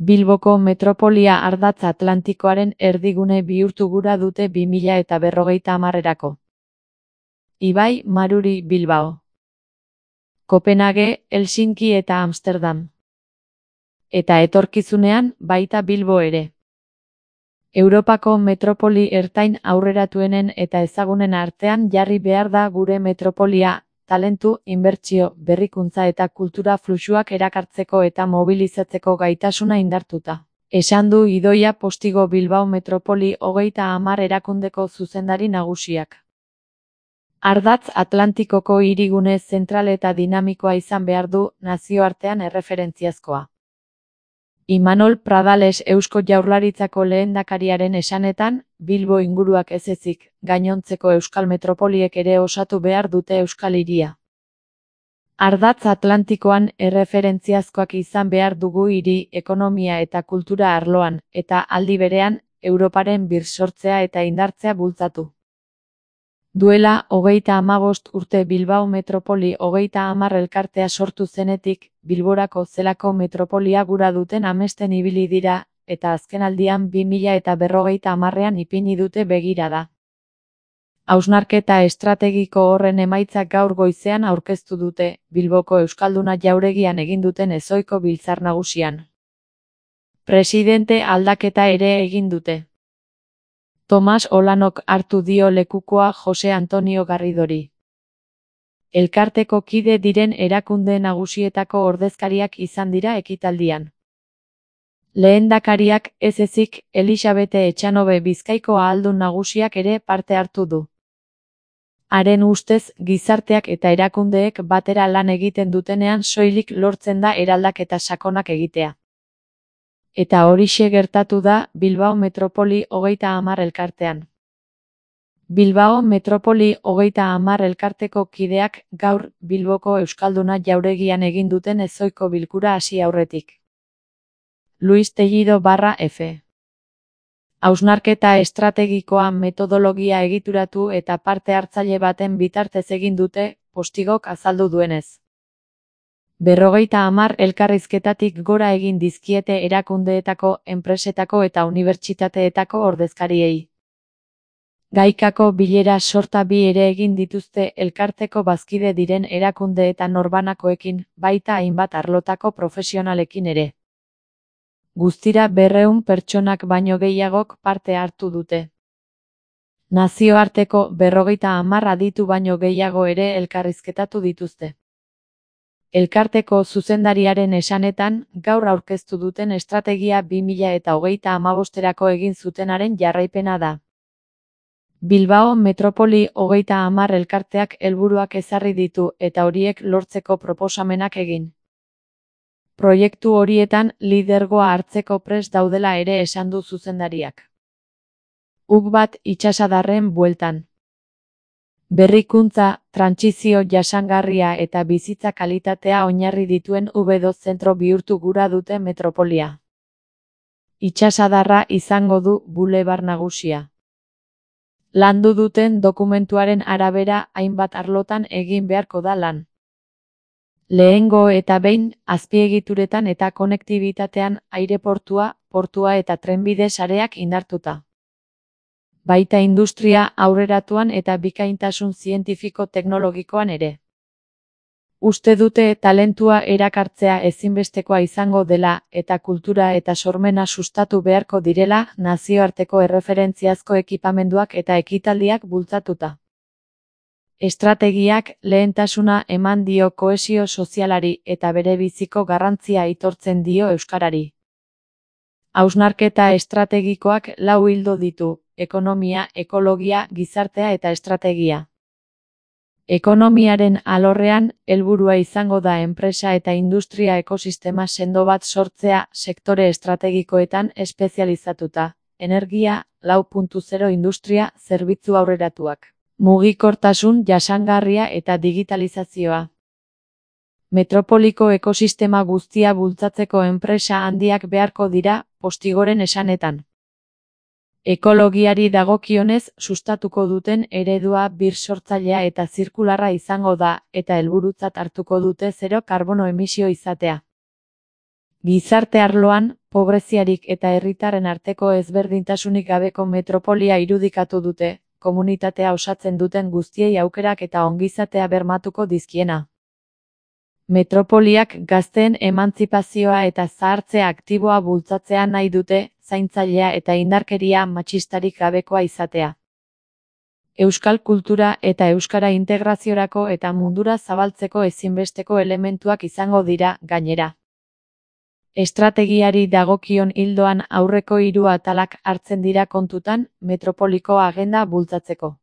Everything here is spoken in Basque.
Bilboko metropolia ardatz atlantikoaren erdigune bihurtu gura dute 2050erako. Ibai, Maruri, Bilbao. Kopenhage, Helsinki eta Amsterdam. Eta etorkizunean, baita Bilbo ere. Europako metropoli ertain aurreratuenen eta ezagunen artean jarri behar da gure metropolia, talentu, inbertsio, berrikuntza eta kultura fluxuak erakartzeko eta mobilizatzeko gaitasuna indartuta. Esan du Idoia Postigo Bilbao Metropoli 30 erakundeko zuzendari nagusiak. Ardatz Atlantikoko hirigune zentral eta dinamikoa izan behar du, nazioartean erreferentziazkoa. Imanol Pradales Eusko Jaurlaritzako lehendakariaren esanetan, Bilbo inguruak ez ezik, gainontzeko euskal metropoliek ere osatu behar dute euskal hiria. Ardatz Atlantikoan erreferentziazkoak izan behar dugu hiri, ekonomia eta kultura arloan, eta aldi berean, Europaren birsortzea eta indartzea bultzatu. Duela 35 urte Bilbao Metropoli 30 elkartea sortu zenetik, Bilborako zelako metropolia gura duten amesten ibili dira, eta azkenaldian 2050ean ipini dute begirada. Hausnarketa estrategiko horren emaitzak gaur goizean aurkeztu dute, Bilboko Euskalduna jauregian egin duten ezohiko biltzar nagusian. Presidente aldaketa ere egin dute. Tomas Olanok hartu dio lekukoa Jose Antonio Garridori. Elkarteko kide diren erakunde nagusietako ordezkariak izan dira ekitaldian. Lehendakariak ez ezik, Elisabete Etxanobe Bizkaiko ahaldun nagusiak ere parte hartu du. Haren ustez, gizarteak eta erakundeek batera lan egiten dutenean soilik lortzen da eraldaketa sakonak egitea. Eta horixe gertatu da Bilbao Metropoli 30 elkartean. Bilbao Metropoli 30 elkarteko kideak gaur Bilboko Euskalduna jauregian egin duten ezohiko bilkura hasi aurretik. Luis Tellido /F. Hausnarketa estrategikoa metodologia egituratu eta parte hartzaile baten bitartez egin dute, Postigok azaldu duenez. 50 elkarrizketatik gora egin dizkiete erakundeetako, enpresetako eta unibertsitateetako ordezkariei. Gaikako bilera sorta bi ere egin dituzte elkarteko bazkide diren erakunde eta norbanakoekin, baita hainbat arlotako profesionalekin ere. Guztira 200 pertsonak baino gehiagok parte hartu dute. Nazioarteko 50 aditu baino gehiago ere elkarrizketatu dituzte. Elkarteko zuzendariaren esanetan, gaur aurkeztu duten estrategia 2035erako egin zutenaren jarraipena da. Bilbao Metropoli 30 elkarteak helburuak ezarri ditu eta horiek lortzeko proposamenak egin. Proiektu horietan lidergoa hartzeko prest daudela ere esan du zuzendariak. Uk bat itsasadarren bueltan. Berrikuntza, trantsizio jasangarria eta bizitza kalitatea oinarri dituen U2 zentro bihurtu gura dute metropolia. Itsasadarra izango du bulebar nagusia. Landu duten dokumentuaren arabera hainbat arlotan egin beharko da lan. Lehengo eta behin, azpiegituretan eta konektibitatean aireportua, portua eta trenbide sareak indartuta. Baita industria aurreratuan eta bikaintasun zientifiko-teknologikoan ere. Uste dute talentua erakartzea ezinbestekoa izango dela eta kultura eta sormena sustatu beharko direla nazioarteko erreferentziazko ekipamenduak eta ekitaldiak bultzatuta. Estrategiak lehentasuna eman dio kohesio sozialari eta berebiziko garrantzia aitortzen dio euskarari. Hausnarketa estrategikoak 4 ildo ditu: ekonomia, ekologia, gizartea eta estrategia. Ekonomiaren alorrean, helburua izango da enpresa eta industria ekosistema sendo bat sortzea sektore estrategikoetan espezializatuta, energia, 4.0 industria, zerbitzu aurreratuak, mugikortasun jasangarria eta digitalizazioa. Metropoliko ekosistema guztia bultzatzeko enpresa handiak beharko dira, Postigoren esanetan. Ekologiari dagokionez sustatuko duten eredua birsortzailea eta zirkularra izango da, eta helburutzat hartuko dute zero karbono emisio izatea. Gizarte arloan, Pobreziarik eta herritarren arteko ezberdintasunik gabeko metropolia irudikatu dute, komunitatea osatzen duten guztiei aukerak eta ongizatea bermatuko dizkiena. Metropoliak gazteen emantzipazioa eta zahartze aktiboa bultzatzea nahi dute, zaintzailea eta indarkeria matxistarik gabekoa izatea. Euskal kultura eta euskara integraziorako eta mundura zabaltzeko ezinbesteko elementuak izango dira, gainera. Estrategiari dagokion ildoan aurreko 3 atalak hartzen dira kontutan, metropoliko agenda bultzatzeko.